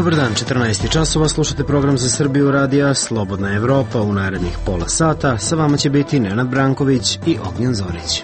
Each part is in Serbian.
Dobar dan, 14 časova, slušate program za Srbiju radija Slobodna Evropa. U narednih pola sata sa vama će biti Nenad Branković i Ognjen Zorić.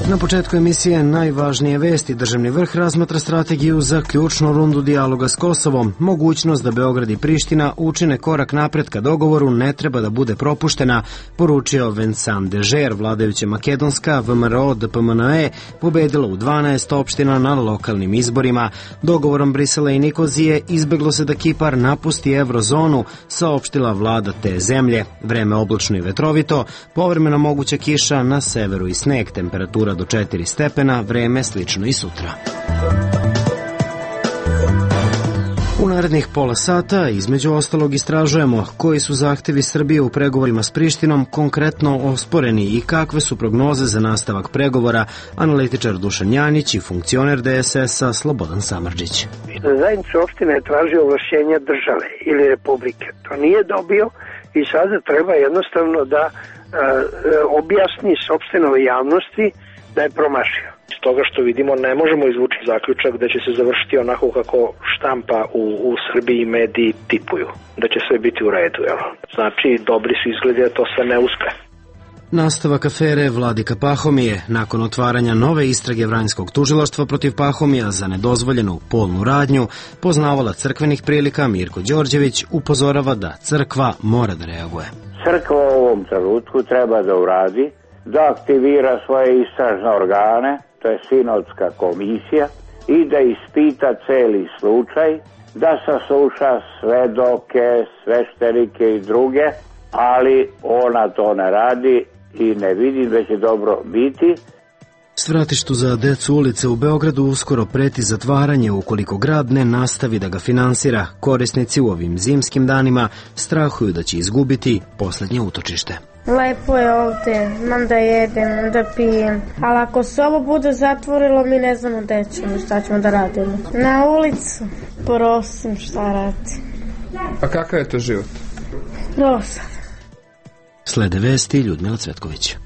Na početku emisije najvažnije vesti. Državni vrh razmatra strategiju za ključnu rundu dijaloga s Kosovom. Mogućnost da Beograd i Priština učine korak napred ka dogovoru ne treba da bude propuštena, poručio Vincent Dežer. Vladajuća makedonska VMRO DPMNE pobedila u 12 opština na lokalnim izborima. Dogovorom Brisela i Nikozije izbeglo se da Kipar napusti eurozonu, saopštila vlada te zemlje. Vreme oblačno i vetrovito, povremeno moguća kiša na severu i sneg, temperatura do 4 stepena, vreme slično i sutra. U narednih pola sata, između ostalog, istražujemo koji su zahtevi Srbije u pregovorima s Prištinom konkretno osporeni i kakve su prognoze za nastavak pregovora, analitičar Dušan Janić i funkcioner DSS-a Slobodan Samardžić. Zajednica opština je tražio ovlašćenja države ili republike. To nije dobio i sada treba jednostavno da objasni sopstvenoj javnosti da je promašio. Iz toga što vidimo ne možemo izvući zaključak da će se završiti onako kako štampa u Srbiji mediji tipuju, da će sve biti u redu. Jel? Znači, dobri su izgledi da to sve ne uspe. Nastavak afere Vladika Pahomije. Nakon otvaranja nove istrage Vranjskog tužilaštva protiv Pahomija za nedozvoljenu polnu radnju, poznavala crkvenih prilika Mirko Đorđević upozorava da crkva mora da reaguje. Crkva u ovom trenutku treba da uradi, da aktivira svoje istražne organe, to je sinodska komisija, i da ispita celi slučaj, da sasluša svedoke, sveštenike i druge, ali ona to ne radi i ne vidim da će dobro biti. Svratištu za decu ulice u Beogradu uskoro preti zatvaranje ukoliko grad ne nastavi da ga finansira. Korisnici u ovim zimskim danima strahuju da će izgubiti poslednje utočište. Lepo je ovde, imam da jedem, da pijem, ali ako se ovo bude zatvorilo, mi ne znamo gde ćemo, šta ćemo da radimo. Na ulicu, prosim, šta radim. A kakav je to život? Dosadan. Slede vesti Ljudmila Cvetković.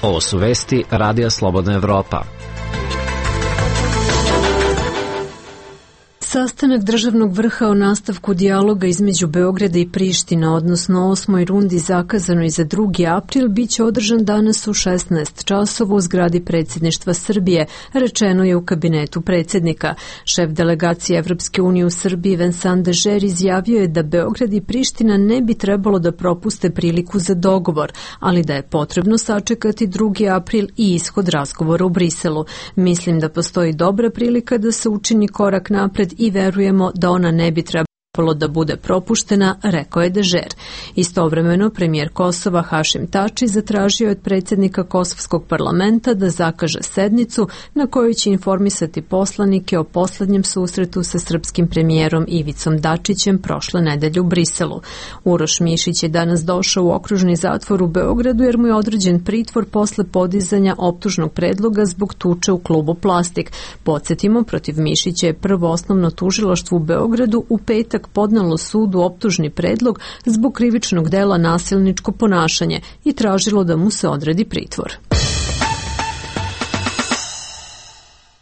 Ovo su vesti Radija Slobodna Evropa. Sastanak državnog vrha o nastavku dijaloga između Beograda i Priština, odnosno 8. rundi zakazano i za 2. april, biće održan danas u 16 časova u zgradi predsjedništva Srbije, rečeno je u kabinetu predsjednika. Šef delegacije Evropske unije u Srbiji Vincent Dežer izjavio je da Beograd i Priština ne bi trebalo da propuste priliku za dogovor, ali da je potrebno sačekati 2. april i ishod razgovora u Briselu. Mislim da postoji dobra prilika da se učini korak napred i verujemo da ona ne bi trebalo da bude propuštena, rekao je Dežer. Istovremeno, premijer Kosova Hašim Tači zatražio od predsjednika Kosovskog parlamenta da zakaže sednicu na kojoj će informisati poslanike o poslednjem susretu sa srpskim premijerom Ivicom Dačićem prošle nedelje u Briselu. Uroš Mišić je danas došao u okružni zatvor u Beogradu jer mu je određen pritvor posle podizanja optužnog predloga zbog tuče u klubu Plastik. Podsjetimo, protiv Mišića je prvo osnovno tužilaštvo u Beogradu u petak podnelo sudu optužni predlog zbog krivičnog dela nasilničko ponašanje i tražilo da mu se odredi pritvor.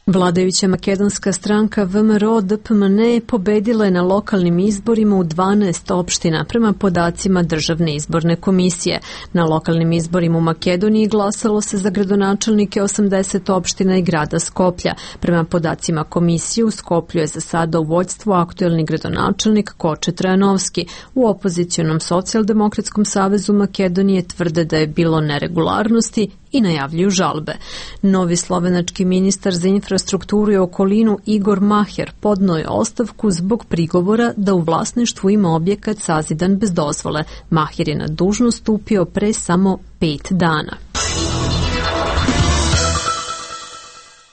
Vladajuća makedonska stranka VMRO DPMNE pobedila je na lokalnim izborima u 12 opština prema podacima Državne izborne komisije. Na lokalnim izborima u Makedoniji glasalo se za gradonačelnike 80 opština i grada Skoplja. Prema podacima komisije u Skoplju je za sada u vođstvu aktuelni gradonačelnik Koče Trajanovski. U opozicionom Socijaldemokratskom savezu Makedonije tvrde da je bilo neregularnosti i najavljuju žalbe. Novi slovenački ministar za infrastrukturu i okolinu Igor Maher podneo je ostavku zbog prigovora da u vlasništvu ima objekat sazidan bez dozvole. Maher je na dužnost stupio pre samo 5 dana.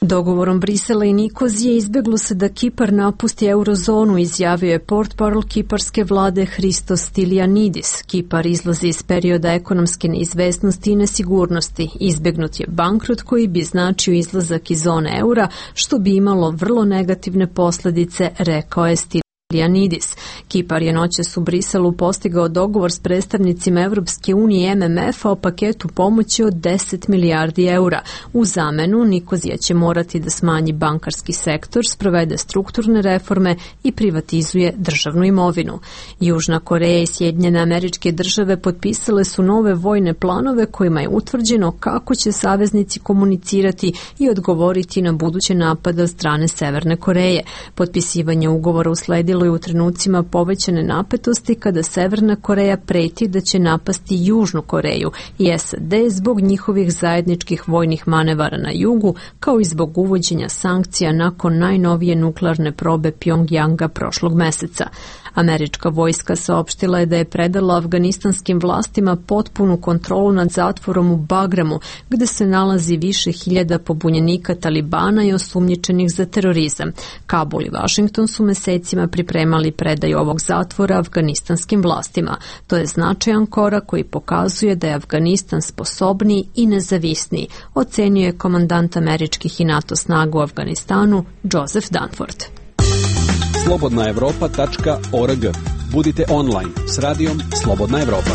Dogovorom Brisela i Nikozije izbeglo se da Kipar napusti eurozonu, izjavio je portparol kiparske vlade Hristos Stylianidis. Kipar izlazi iz perioda ekonomske neizvesnosti i nesigurnosti. Izbegnut je bankrot koji bi značio izlazak iz zone eura, što bi imalo vrlo negativne posledice, rekao je Stylianidis. Stylianidis. Kipar je noćas u Briselu postigao dogovor s predstavnicima Evropske unije i MMF-a o paketu pomoći od 10 milijardi eura. U zamenu Nikozija će morati da smanji bankarski sektor, sprovede strukturne reforme i privatizuje državnu imovinu. Južna Koreja i Sjedinjene Američke Države potpisale su nove vojne planove kojima je utvrđeno kako će saveznici komunicirati i odgovoriti na buduće napade od strane Severne Koreje. Potpisivanje ugovora usledilo je u trenucima povećane napetosti kada Severna Koreja preti da će napasti Južnu Koreju i SAD zbog njihovih zajedničkih vojnih manevara na jugu, kao i zbog uvođenja sankcija nakon najnovije nuklearne probe Pjongjanga prošlog meseca. Američka vojska saopštila je da je predala afganistanskim vlastima potpunu kontrolu nad zatvorom u Bagramu, gde se nalazi više hiljada pobunjenika Talibana i osumnjičenih za terorizam. Kabul i Washington su mesecima pripremali predaju ovog zatvora afganistanskim vlastima. To je značajan korak koji pokazuje da je Afganistan sposobniji i nezavisniji, ocenio je komandant američkih i NATO snaga u Afganistanu Joseph Dunford. slobodnaevropa.org. Budite online s radijom Slobodna Evropa.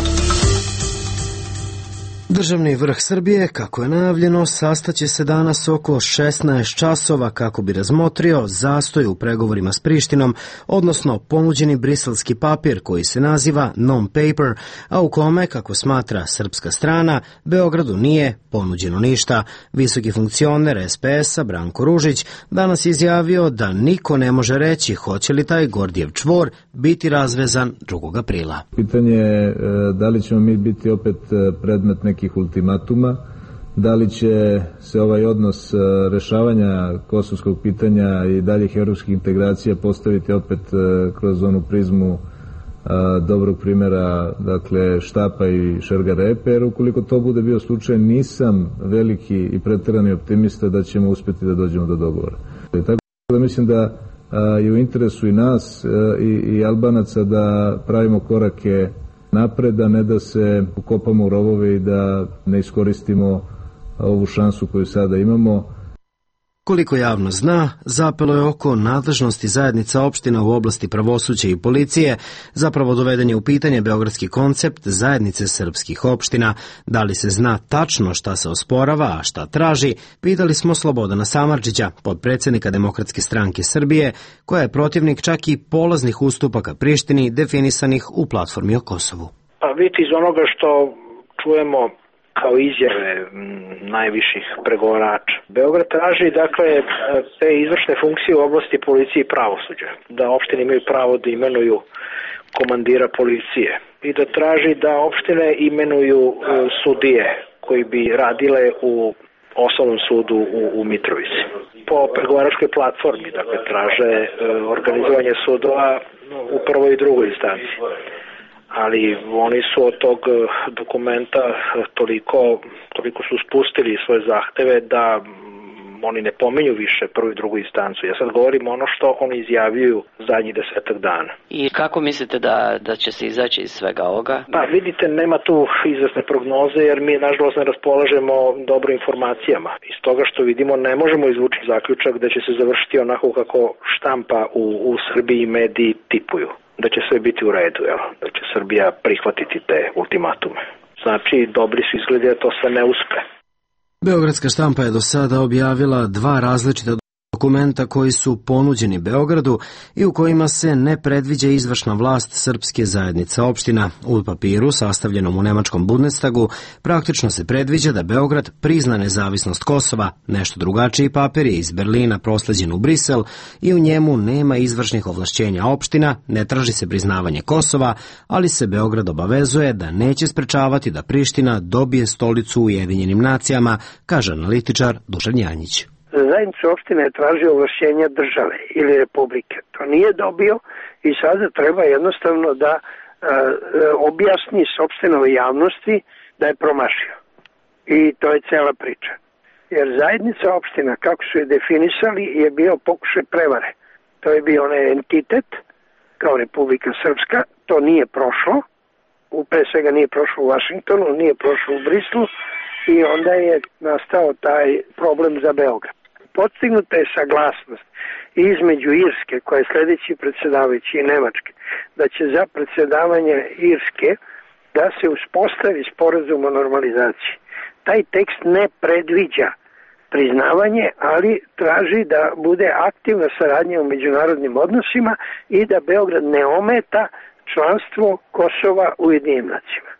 Državni vrh Srbije, kako je najavljeno, sastaće se danas oko 16 časova kako bi razmotrio zastoj u pregovorima s Prištinom, odnosno ponuđeni briselski papir koji se naziva non-paper, a u kome, kako smatra srpska strana, Beogradu nije ponuđeno ništa. Visoki funkcioner SPS-a Branko Ružić danas izjavio da niko ne može reći hoće li taj Gordijev čvor biti razvezan 2. aprila. Pitanje je da li ćemo mi biti opet predmet nekih ultimatuma, da li će se ovaj odnos rešavanja kosovskog pitanja i daljih evropskih integracija postaviti opet kroz onu prizmu dobrog primjera, dakle Štapa i Šergarepe, jer ukoliko to bude bio slučaj, nisam veliki i preterani optimista da ćemo uspjeti da dođemo do dogovora. Tako da mislim da je u interesu i nas i Albanaca da pravimo korake napred, a ne da se ukopamo u rovove i da ne iskoristimo ovu šansu koju sada imamo. Koliko javno zna, zapelo je oko nadležnosti zajednica opština u oblasti pravosuđa i policije, zapravo doveden je u pitanje beogradski koncept zajednice srpskih opština. Da li se zna tačno šta se osporava, a šta traži, pitali smo Slobodana Samardžića, potpredsjednika Demokratske stranke Srbije, koja je protivnik čak i polaznih ustupaka Prištini definisanih u platformi o Kosovu. Pa vidite, iz onoga što čujemo kao izjave najviših pregovarača, Beograd traži dakle te izvršne funkcije u oblasti policije i pravosuđa, da opštine imaju pravo da imenuju komandira policije i da traži da opštine imenuju sudije koji bi radile u osnovnom sudu u Mitrovici. Po pregovaračkoj platformi, dakle, traže organizovanje sudova u prvoj i drugoj instanci. Ali oni su od tog dokumenta toliko su spustili svoje zahteve da oni ne pominju više prvu i drugu instancu. Ja sad govorim ono što oni izjavljuju zadnjih 10 dana. I kako mislite da će se izaći iz svega ovoga? Pa vidite, nema tu izvesne prognoze jer mi nažalost ne raspolažemo dobro informacijama. Iz toga što vidimo ne možemo izvući zaključak da će se završiti onako kako štampa u Srbiji mediji tipuju. Da će sve biti u redu, da će Srbija prihvatiti te ultimatume. Znači, dobri su izgledi da to sve ne uspe. Beogradska štampa je do sada objavila 2 različita dokumenta koji su ponuđeni Beogradu i u kojima se ne predviđa izvršna vlast srpske zajednice opština. U papiru, sastavljenom u nemačkom Bundestagu, praktično se predviđa da Beograd prizna nezavisnost Kosova. Nešto drugačiji papir je iz Berlina prosleđen u Brisel i u njemu nema izvršnih ovlašćenja opština, ne traži se priznavanje Kosova, ali se Beograd obavezuje da neće sprečavati da Priština dobije stolicu u Ujedinjenim nacijama, kaže analitičar Dušan Janjić. Zajednica opštine je tražio ovlašćenja države ili republike. To nije dobio i sada treba jednostavno da objasni sopstvenoj javnosti da je promašio. I to je cela priča. Jer zajednica opština, kako su je definisali, je bio pokušaj prevare. To je bio onaj entitet kao Republika Srpska. To nije prošlo. Pre svega nije prošlo u Vašingtonu, nije prošlo u Brislu i onda je nastao taj problem za Beograd. postignuta je saglasnost između Irske, koja je sledeći predsjedavajući, i Nemačke, da će za predsjedavanje Irske da se uspostavi sporazum o normalizaciji. Taj tekst ne predviđa priznavanje, ali traži da bude aktivna saradnja u međunarodnim odnosima i da Beograd ne ometa članstvo Kosova u Ujedinjenim nacijama.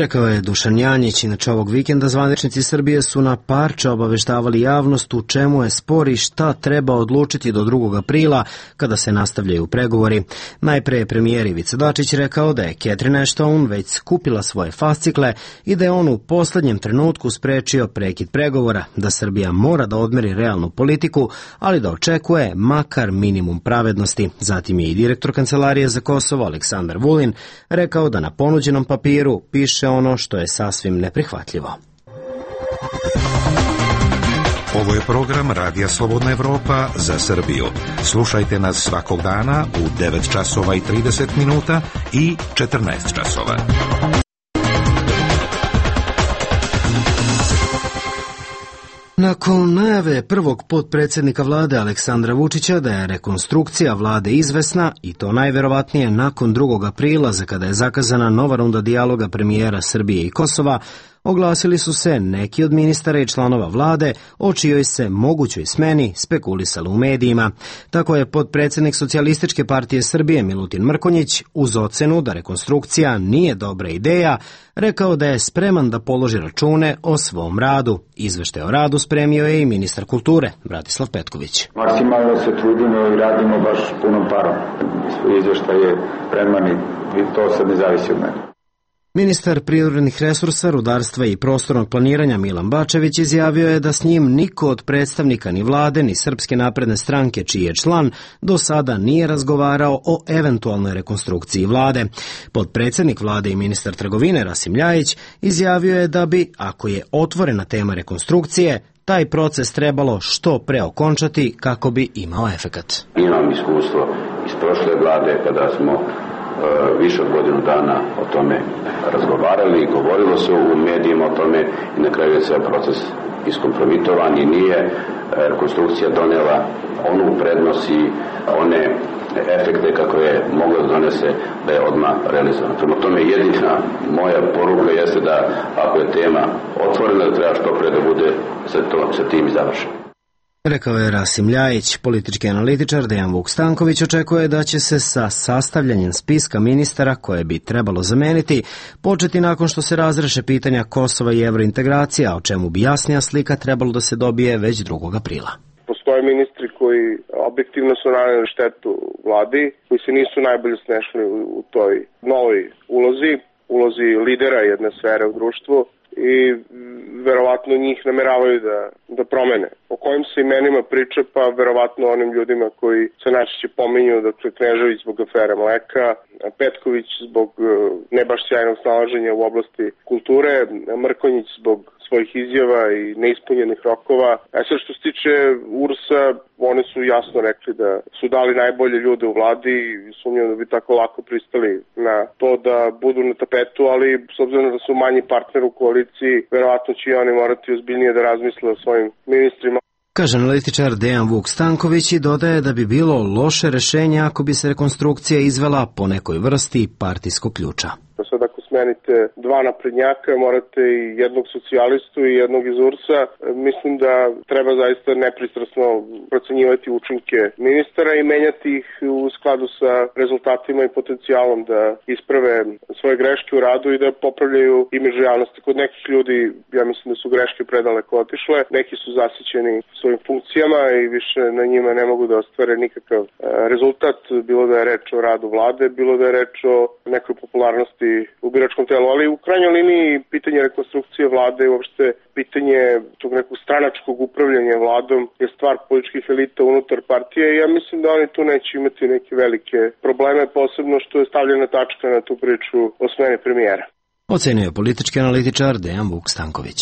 Rekao je Dušan Janjić. Inače, ovog vikenda zvaničnici Srbije su na parče obaveštavali javnost u čemu je spor i šta treba odlučiti do 2. aprila kada se nastavljaju pregovori. Najpre je premijer Ivica Dačić rekao da je Catherine Ashton već skupila svoje fascikle i da je on u poslednjem trenutku sprečio prekid pregovora, da Srbija mora da odmeri realnu politiku, ali da očekuje makar minimum pravednosti. Zatim je i direktor Kancelarije za Kosovo Aleksandar Vulin rekao da na ponuđenom papiru piše ono što je sasvim neprihvatljivo. Ovo je program Radija Slobodna Evropa za Srbiju. Slušajte nas svakog dana u 9 časova i 30 minuta i 14 časova. Nakon najave prvog potpredsjednika vlade Aleksandra Vučića da je rekonstrukcija vlade izvesna, i to najverovatnije nakon 2. aprila, za kada je zakazana nova runda dijaloga premijera Srbije i Kosova, oglasili su se neki od ministara i članova vlade o čijoj se mogućoj smeni spekulisalo u medijima. Tako je potpredsjednik Socijalističke partije Srbije Milutin Mrkonjić, uz ocenu da rekonstrukcija nije dobra ideja, rekao da je spreman da položi račune o svom radu. Izveštaj o radu spremio je i ministar kulture Bratislav Petković. Maksimalno se trudimo i radimo baš punom parom. Izveštaj je spreman i to sad ne zavisi od mene. Ministar prirodnih resursa, rudarstva i prostornog planiranja Milan Bačević izjavio je da s njim niko od predstavnika ni vlade ni Srpske napredne stranke, čiji je član, do sada nije razgovarao o eventualnoj rekonstrukciji vlade. Potpredsjednik vlade i ministar trgovine Rasim Ljajić izjavio je da bi, ako je otvorena tema rekonstrukcije, taj proces trebalo što pre okončati kako bi imao efekat. Imam iskustvo iz prošle vlade kada smo više od godinu dana o tome razgovarali i govorilo se u medijima o tome i na kraju je ceo proces iskompromitovan i nije rekonstrukcija donela onu prednost i one efekte kako je mogla da donese da je odmah realizovana. Prema tome jedina moja poruka jeste da ako je tema otvorena da treba što pre da bude sa tim završeno. Rekao je Rasim Ljajić. Politički analitičar Dejan Vuk Stanković očekuje da će se sa sastavljanjem spiska ministara koje bi trebalo zameniti početi nakon što se razreše pitanja Kosova i evrointegracija, o čemu bi jasnija slika trebalo da se dobije već 2. aprila. Postoje ministri koji objektivno su naneli štetu vladi, koji se nisu najbolje snešli u toj novoj ulozi lidera jedne sfere u društvu i verovatno njih nameravaju da promene. O kojim se imenima priča, pa verovatno onim ljudima koji se najčešće pominju, dakle Knežević zbog afere mleka, Petković zbog ne baš sjajnog snalaženja u oblasti kulture, Mrkonjić zbog svojih izjava i neispunjenih rokova. A sve što se tiče URS-a, oni su jasno rekli da su dali najbolje ljude u vladi i sumnjam da bi tako lako pristali na to da budu na tapetu, ali s obzirom da su manji partner u koaliciji, verovatno će i oni morati ozbiljnije da razmisle o svojim ministrima. Kaže analitičar Dejan Vuk Stanković i dodaje da bi bilo loše rešenje ako bi se rekonstrukcija izvela po nekoj vrsti partijskog ključa. Sad ako smenite dva naprednjaka, morate i jednog socijalistu i jednog iz URS-a. Mislim da treba zaista nepristrasno procenjivati učinke ministara i menjati ih u skladu sa rezultatima i potencijalom da isprave svoje greške u radu i da popravljaju imidž javnosti. Kod nekih ljudi, ja mislim da su greške predaleko otišle, neki su zasićeni svojim funkcijama i više na njima ne mogu da ostvare nikakav rezultat, bilo da je reč o radu vlade, bilo da je reč o nekoj popularnosti u biračkom telu, ali u krajnjoj liniji pitanje rekonstrukcije vlade i uopšte pitanje tog nekog stranačkog upravljanja vladom je stvar političkih elita unutar partije i ja mislim da oni tu neće imati neke velike probleme, posebno što je stavljena tačka na tu priču o smeni premijera. Ocenio je politički analitičar Dejan Vuk Stanković.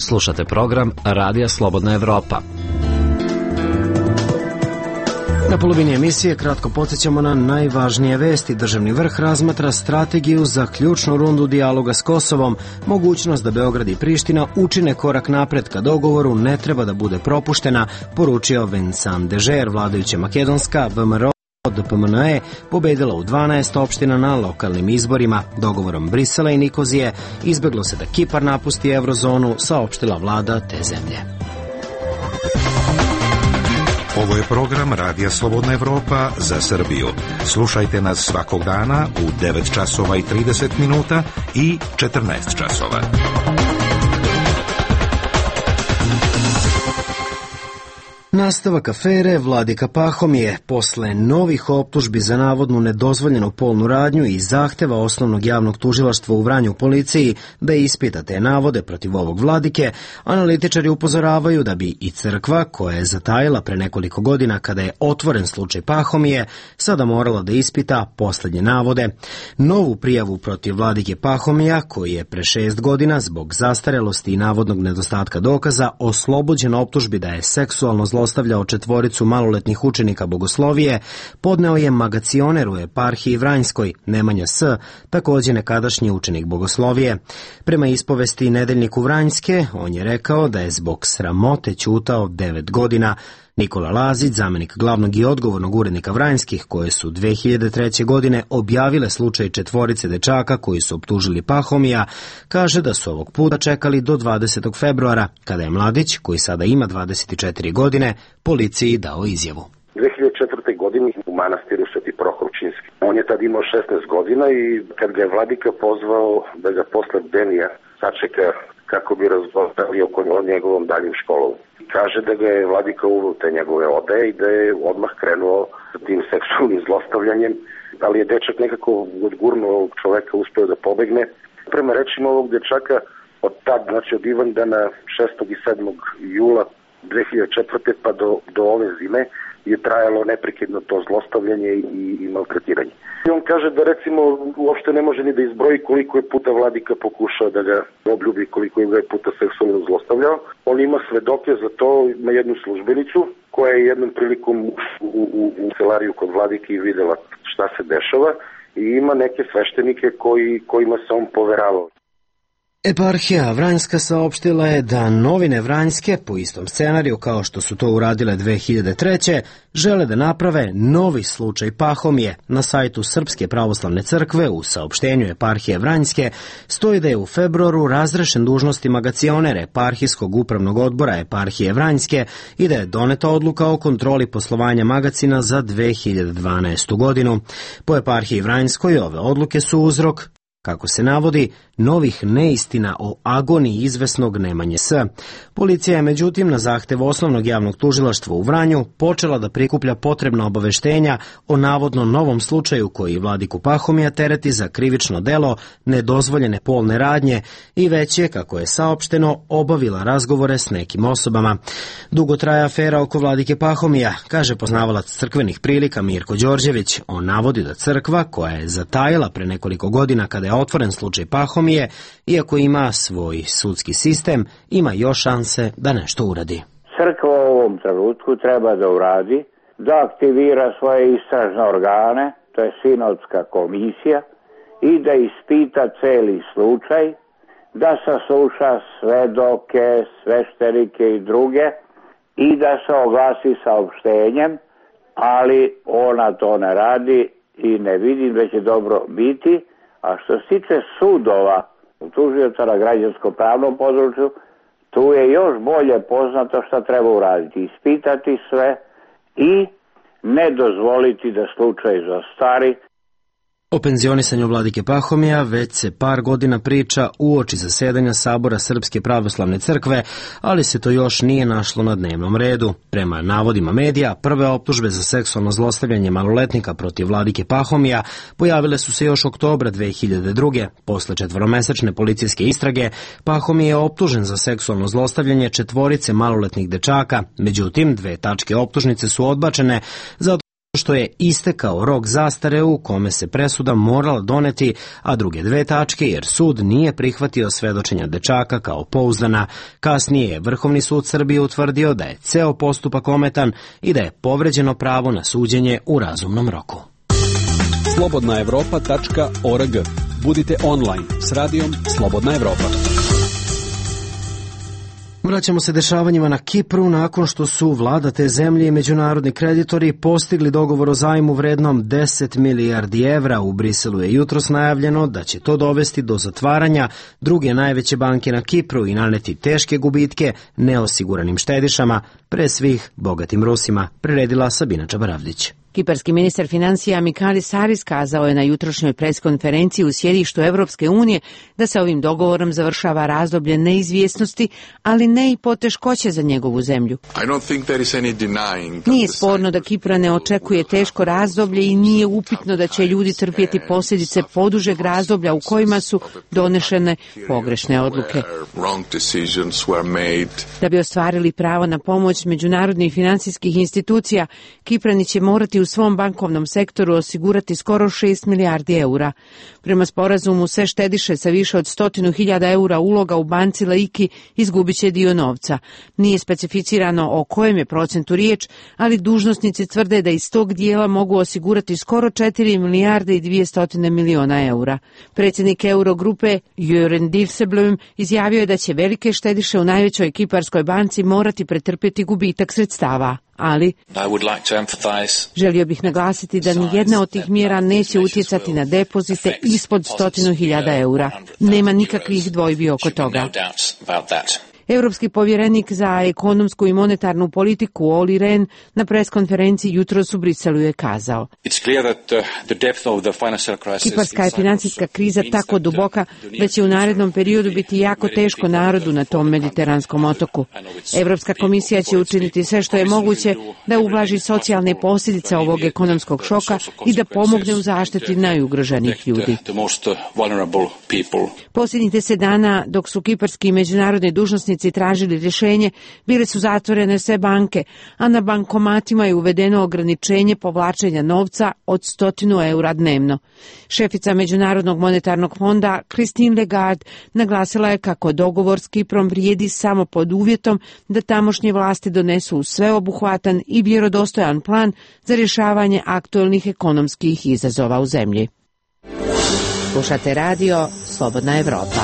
Slušate program Radija Slobodna Evropa. Na polovini emisije kratko podsjećamo na najvažnije vesti. Državni vrh razmatra strategiju za ključnu rundu dijaloga s Kosovom. Mogućnost da Beograd i Priština učine korak napred ka dogovoru ne treba da bude propuštena, poručio Vincent Dežer. Vladajuća makedonska VMRO DPMNE pobedila u 12 opština na lokalnim izborima. Dogovorom Brisela i Nikozije izbeglo se da Kipar napusti eurozonu, saopštila vlada te zemlje. Ovo je program Radija Slobodna Evropa za Srbiju. Slušajte nas svakog dana u 9 časova i 30 minuta i 14 časova. Nastavak afere Vladika Pahomije. Posle novih optužbi za navodnu nedozvoljenu polnu radnju i zahteva osnovnog javnog tužilaštva u Vranju policiji da ispita te navode protiv ovog vladike, analitičari upozoravaju da bi i crkva, koja je zatajila pre nekoliko godina kada je otvoren slučaj Pahomije, sada morala da ispita poslednje navode. Novu prijavu protiv vladike Pahomija, koji je pre 6 godina zbog zastarelosti i navodnog nedostatka dokaza oslobođen optužbi da je seksualno zlostavljao 4 maloletnih učenika bogoslovije, podneo je magacioner u eparhiji Vranjskoj, Nemanja S., takođe nekadašnji učenik bogoslovije. Prema ispovesti Nedeljniku Vranjske, on je rekao da je zbog sramote ćutao 9 godina. Nikola Lazić, zamenik glavnog i odgovornog urednika Vranjskih, koje su 2003. godine objavile slučaj 4 dečaka koji su optužili Pahomija, kaže da su ovog puta čekali do 20. februara, kada je mladić, koji sada ima 24 godine, policiji dao izjavu. 2004. godine u manastiru Sveti Prohorčinski. On je tad imao 16 godina i kad ga je vladika pozvao da ga posle Benija sačeka kako bi razgovarali o njegovom daljem školom. Kaže da ga je vladika uveo te njegove odaje i da je odmah krenuo sa tim seksualnim zlostavljanjem, ali je dečak nekako odgurnuo ovog čoveka, uspeo da pobegne. Prema rečima ovog dečaka, od tad, znači od Ivandana 6. i 7. jula 2004. pa do ove zime je trajalo neprekidno to zlostavljanje i maltretiranje. I on kaže da recimo uopšte ne može ni da izbroji koliko je puta vladika pokušao da ga obljubi, koliko je ga puta seksualno zlostavljao. On ima svedoke za to, ima jednu službenicu koja je jednom prilikom u celariju kod vladike i videla šta se dešava i ima neke sveštenike kojima se on poveravao. Eparhija Vranjska saopštila je da novine Vranjske, po istom scenariju kao što su to uradile 2003. žele da naprave novi slučaj Pahomije. Na sajtu Srpske pravoslavne crkve u saopštenju Eparhije Vranjske stoji da je u februaru razrešen dužnosti magacioner Eparhijskog upravnog odbora Eparhije Vranjske i da je doneta odluka o kontroli poslovanja magacina za 2012. godinu. Po Eparhiji Vranjskoj ove odluke su uzrok, kako se navodi, novih neistina o agoniji izvesnog Nemanje S. Policija je međutim na zahtev osnovnog javnog tužilaštva u Vranju počela da prikuplja potrebna obaveštenja o navodno novom slučaju koji vladiku Pahomija tereti za krivično delo nedozvoljene polne radnje i već je, kako je saopšteno, obavila razgovore s nekim osobama. Dugo traje afera oko vladike Pahomija, kaže poznavalac crkvenih prilika Mirko Đorđević. On navodi da crkva, koja je zatajila pre nekoliko godina kada je otvoren slučaj Pahomije, iako ima svoj sudski sistem, ima još šanse da nešto uradi. Crkva u ovom trenutku treba da uradi, da aktivira svoje istražne organe, to je sinodska komisija, i da ispita celi slučaj, da sasluša svedoke, sveštenike i druge i da se oglasi saopštenjem, ali ona to ne radi i ne vidim da će dobro biti. A što se tiče sudova, tužioca na građansko-pravnom području, tu je još bolje poznato šta treba uraditi. Ispitati sve i ne dozvoliti da slučaj zastari. O penzionisanju vladike Pahomija već se par godina priča uoči zasedanja Sabora Srpske pravoslavne crkve, ali se to još nije našlo na dnevnom redu. Prema navodima medija, prve optužbe za seksualno zlostavljanje maloletnika protiv vladike Pahomija pojavile su se još oktobra 2002. Posle 4-mesečne policijske istrage, Pahomije je optužen za seksualno zlostavljanje 4 maloletnih dečaka, međutim 2 tačke optužnice su odbačene zato što je istekao rok zastare u kome se presuda morala doneti, a druge 2 tačke jer sud nije prihvatio svedočenja dečaka kao pouzdana. Kasnije je Vrhovni sud Srbije utvrdio da je ceo postupak ometan i da je povređeno pravo na suđenje u razumnom roku. slobodnaevropa.org. Budite online s radijom Slobodna Evropa. Vraćamo se dešavanjima na Kipru nakon što su vlada te zemlje i međunarodni kreditori postigli dogovor o zajmu vrednom 10 milijardi evra. U Briselu je jutros najavljeno da će to dovesti do zatvaranja druge najveće banke na Kipru i naneti teške gubitke neosiguranim štedišama, pre svih bogatim Rusima, priredila Sabina Čabaravdić. Kiparski ministar financija Mikalis Haris kazao je na jutrošnjoj preskonferenciji u sjedištu Evropske unije da se ovim dogovorom završava razdoblje neizvjesnosti, ali ne i poteškoće za njegovu zemlju. Nije sporno da Kipra ne očekuje teško razdoblje i nije upitno da će ljudi trpjeti posljedice podužeg razdoblja u kojima su donešene pogrešne odluke. Da bi ostvarili pravo na pomoć međunarodnih financijskih institucija, Kiprani će morati u svom bankovnom sektoru osigurati skoro 6 milijardi eura. Prema sporazumu, sve štediše sa više od 100.000 eura uloga u banci Laiki izgubit će dio novca. Nije specificirano o kojem je procentu riječ, ali dužnosnici tvrde da iz tog dijela mogu osigurati skoro 4 milijarde i 200 miliona eura. Predsjednik Eurogrupe Jörgen Dijsselbloem izjavio je da će velike štediše u najvećoj kiparskoj banci morati pretrpjeti gubitak sredstava. Ali želio bih naglasiti da nijedna od tih mjera neće utjecati na depozite ispod 100.000 eura. Nema nikakvih dvojbi oko toga. Europski povjerenik za ekonomsku i monetarnu politiku Olli Rehn na preskonferenciji jutros u Briselu je kazao: Kiparska je financijska kriza tako duboka da će u narednom periodu biti jako teško narodu na tom mediteranskom otoku. Europska komisija će učiniti sve što je moguće da ublaži socijalne posljedice ovog ekonomskog šoka i da pomogne u zaštiti najugroženijih ljudi. Posljednjih 10 dana, dok su kiparski i međunarodni dužnosnici tražili rješenje, bile su zatvorene sve banke, a na bankomatima je uvedeno ograničenje povlačenja novca od 100 eura dnevno. Šefica Međunarodnog monetarnog fonda Christine Lagarde naglasila je kako dogovor s Kiprom vrijedi samo pod uvjetom da tamošnje vlasti donesu sveobuhvatan i vjerodostojan plan za rješavanje aktualnih ekonomskih izazova u zemlji. Slušate radio Slobodna Evropa.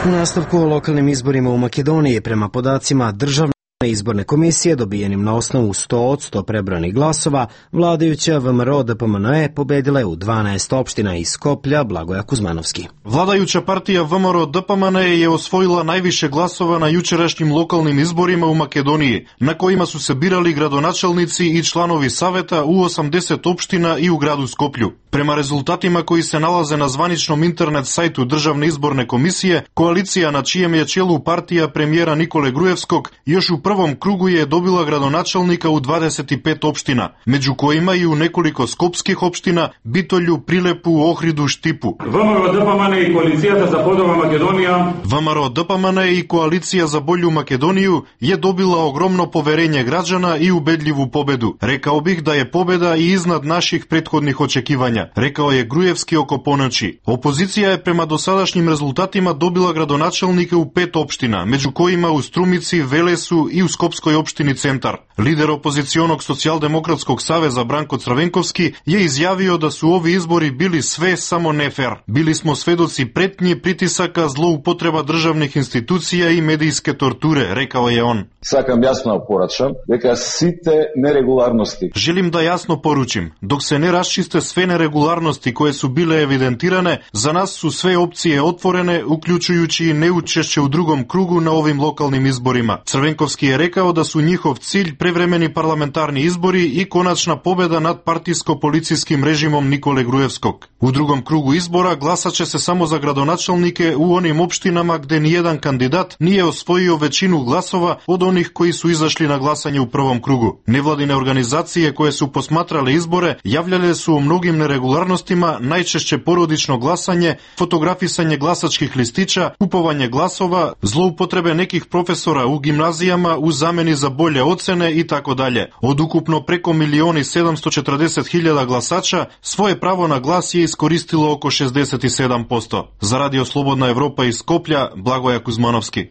U nastavku o lokalnim izborima u Makedoniji prema podacima Državne izborne komisije dobijenim na osnovu 100 od 100 prebrojanih glasova, vladajuća VMRO DPMNE pobedila je u 12 opština iz Skoplja. Blagoja Kuzmanovski. Vladajuća partija VMRO DPMNE je osvojila najviše glasova na jučerašnjim lokalnim izborima u Makedoniji, na kojima su se birali gradonačelnici i članovi saveta u 80 opština i u gradu Skoplju. Prema rezultatima koji se nalaze na zvaničnom internet sajtu Državne izborne komisije, koalicija na čijem je čelu partija premijera Nikole Grujevskog još u prvom krugu je dobila gradonačelnika u 25 opština, među kojima i u nekoliko skopskih opština, Bitolju, Prilepu, Ohridu, Štipu. VMRO DPMNE i koalicija za bolju Makedonija. VMRO DPMNE i koalicija za bolju Makedoniju je dobila ogromno poverenje građana i ubedljivu pobedu. Rekao bih da je pobeda i iznad naših prethodnih očekivanja, rekao je Grujevski oko ponoći. Opozicija je prema dosadašnjim rezultatima dobila gradonačelnike u 5 opština, među kojima u Strumici, Velesu i u Skopskoj opštini Centar. Lider opozicionog socijaldemokratskog saveza Branko Crvenkovski je izjavio da su ovi izbori bili sve samo nefer. Bili smo svedoci pretnje, pritisaka, zloupotreba državnih institucija i medijske torture, rekao je on. Sakam jasno poračam, дека сите neregularnosti. Želim da jasno poručim, dok se ne raščiste sve neregularnosti koje su bile evidentirane, za nas su sve opcije otvorene, uključujući i neučešće u drugom krugu na ovim lokalnim izborima. Crvenkovski je rekao da su njihov cilj prevremeni parlamentarni izbori i konačna pobeda nad partijsko-policijskim režimom Nikole Grujevskog. U drugom krugu izbora glasat će se samo za gradonačelnike u onim opštinama gde nijedan kandidat nije osvojio većinu glasova od onih koji su izašli na glasanje u prvom krugu. Nevladine organizacije koje su posmatrale izbore javljale su o mnogim neregulacijama neregularnostima, najčešće porodično glasanje, fotografisanje glasačkih listića, kupovanje glasova, zloupotrebe nekih profesora u gimnazijama u zameni za bolje ocene i tako dalje. Od ukupno preko 1.740.000 glasača svoje pravo na glas je iskoristilo oko 67%. За Радио Слободна Европа из Скопља, Благоја Кузмановски.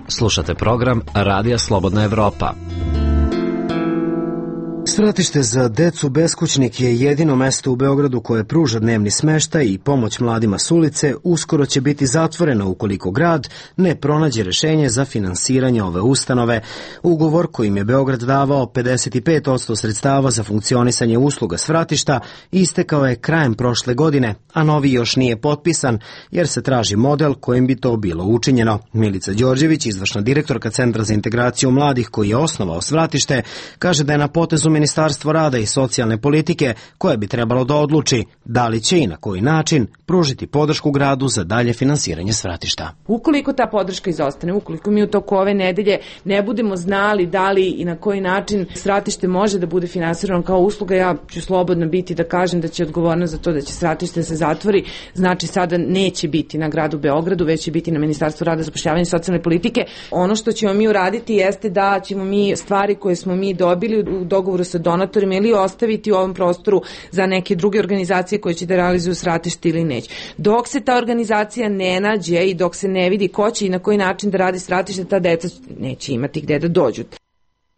Slušate program Radija Slobodna Evropa. Svratište za decu beskućnik je jedino mesto u Beogradu koje pruža dnevni smeštaj i pomoć mladima s ulice. Uskoro će biti zatvoreno ukoliko grad ne pronađe rešenje za finansiranje ove ustanove. Ugovor kojim je Beograd davao 55% sredstava za funkcionisanje usluga svratišta istekao je krajem prošle godine, a novi još nije potpisan jer se traži model kojim bi to bilo učinjeno. Milica Đorđević, izvršna direktorka Centra za integraciju mladih koji je osnovao svratište, kaže da je na potezu Ministarstvo rada i socijalne politike koje bi trebalo da odluči da li će i na koji način pružiti podršku gradu za dalje finansiranje svratišta. Ukoliko ta podrška izostane, ukoliko mi u toku ove nedelje ne budemo znali da li i na koji način svratište može da bude finansirano kao usluga, ja ću slobodno biti da kažem da će odgovornost za to da će svratište se zatvori, znači sada neće biti na gradu Beogradu, već će biti na Ministarstvu rada, zapošljavanja i socijalne politike. Ono što ćemo mi uraditi jeste da ćemo mi stvari koje smo mi dobili u dogovoru sa donatorima ili ostaviti u ovom prostoru za neke druge organizacije koje će da realizuju svratište ili neće. Dok se ta organizacija ne nađe i dok se ne vidi ko će i na koji način da radi svratište, ta deca neće imati gde da dođu.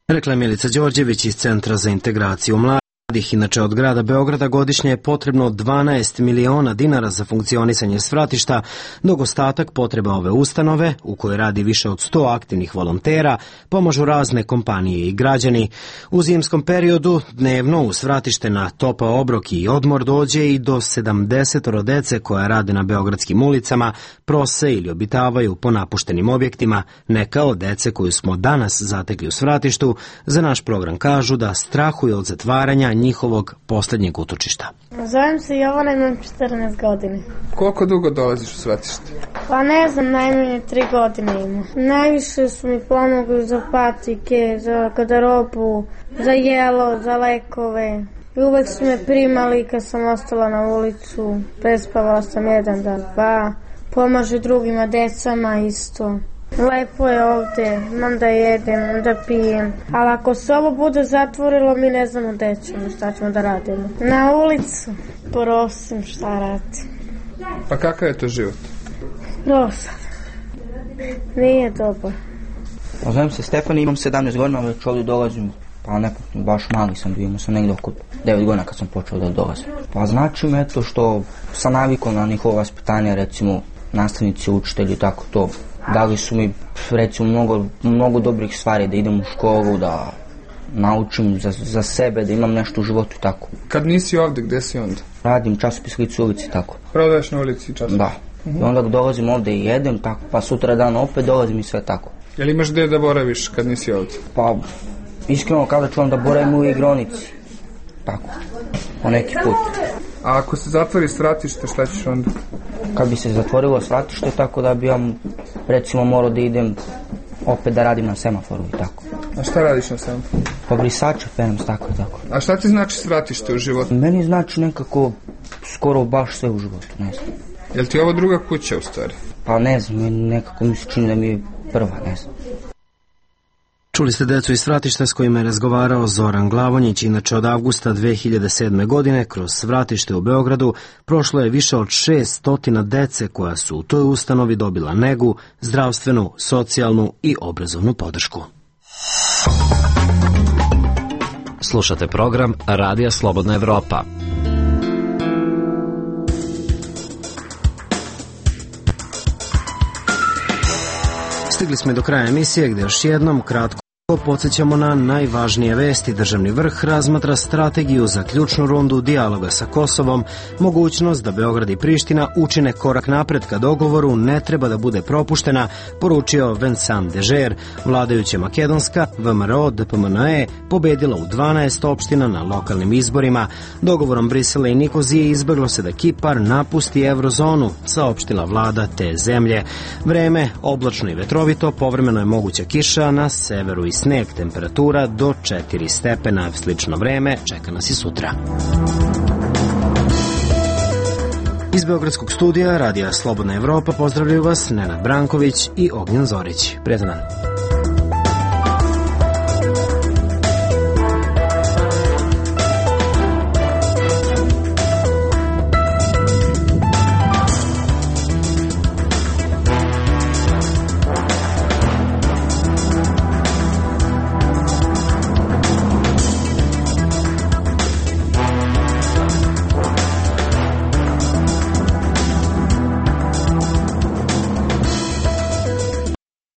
Rekla je Milica Đorđević iz Centra za integraciju mladih. Inače, od grada Beograda godišnje je potrebno 12 miliona dinara za funkcionisanje svratišta, dok ostatak potreba ove ustanove, u kojoj radi više od 100 aktivnih volontera, pomažu razne kompanije i građani. U zimskom periodu dnevno u svratište na topao obrok i odmor dođe i do 70 dece koja rade na beogradskim ulicama, prose ili obitavaju po napuštenim objektima. Neka od dece koju smo danas zatekli u svratištu za naš program kažu da strahuju od zatvaranja njihovog poslednjeg utočišta. Zovem se Jovana, imam 14 godina. Koliko dugo dolaziš u svratište? Pa ne znam, najmanje 3 godine ima. Najviše su mi pomogli za patike, za garderobu, za jelo, za lekove. I uvek su me primali kad sam ostala na ulicu. Prespavala sam 1 dan, 2. Pomaže drugima, decama isto. Lepo je ovde, imam da jedem, da pijem, ali ako se ovo bude zatvorilo, mi ne znamo gde ćemo, šta ćemo da radimo. Na ulicu, prosim, šta radim. Pa kakav je to život? Prosim, nije dobar. Zovem se Stefan, imam 17 godina, već ovdje dolazim, pa nekako baš mali sam bio, imao sam negdje oko 9 godina kad sam počeo da dolazim. Pa znači me to što sam navikao na njihovo vaspitanje, recimo nastavnici, učitelji, tako to. Dali su mi, recimo, mnogo dobrih stvari, da idem u školu, da naučim za sebe, da imam nešto u životu i tako. Kad nisi ovde, gde si onda? Radim časopis Lic u ulici, tako. Prodaješ na ulici časopis? Da. I onda dolazim ovde i jedem, tako, pa sutra dan opet dolazim i sve tako. Jel imaš gde da boraviš kad nisi ovde? Pa, iskreno kada čuvam da boravim u igronici. Tako, po neki put. A ako se zatvori svratište, šta ćeš onda? Kad bi se zatvorilo svratište, tako da bi ja, recimo, morao da idem opet da radim na semaforu i tako. A šta radiš na semaforu? Pa brisače penem, tako i tako. A šta ti znači svratište u životu? Meni znači nekako skoro baš sve u životu, ne znam. Jel ti ovo druga kuća u stvari? Pa ne znam, nekako mi se čini da mi je prva, ne znam. Čuli ste decu iz svratišta s kojima je razgovarao Zoran Glavonjić. Inače, od avgusta 2007. godine kroz svratište u Beogradu prošlo je više od 600 dece koja su u toj ustanovi dobila negu, zdravstvenu, socijalnu i obrazovnu podršku. Slušate program Radija Slobodna Evropa. Stigli smo do kraja emisije gde još jednom kratko podsjećamo na najvažnije vesti. Državni vrh razmatra strategiju za ključnu rundu dijaloga sa Kosovom. Mogućnost da Beograd i Priština učine korak napred ka dogovoru ne treba da bude propuštena, poručio Vincent Dežer. Vladajuća makedonska VMRO DPMNE pobedila u 12 opština na lokalnim izborima. Dogovorom Brisela i Nikozije izbeglo se da Kipar napusti eurozonu, saopštila vlada te zemlje. Vreme oblačno i vetrovito, povremeno je moguća kiša na severu i sneg, temperatura do 4 stepena. Slično vreme čeka nas i sutra. Iz Beogradskog studija Radija Slobodna Evropa pozdravljaju vas Nenad Branković i Ognjen Zorić. Prijetan dan.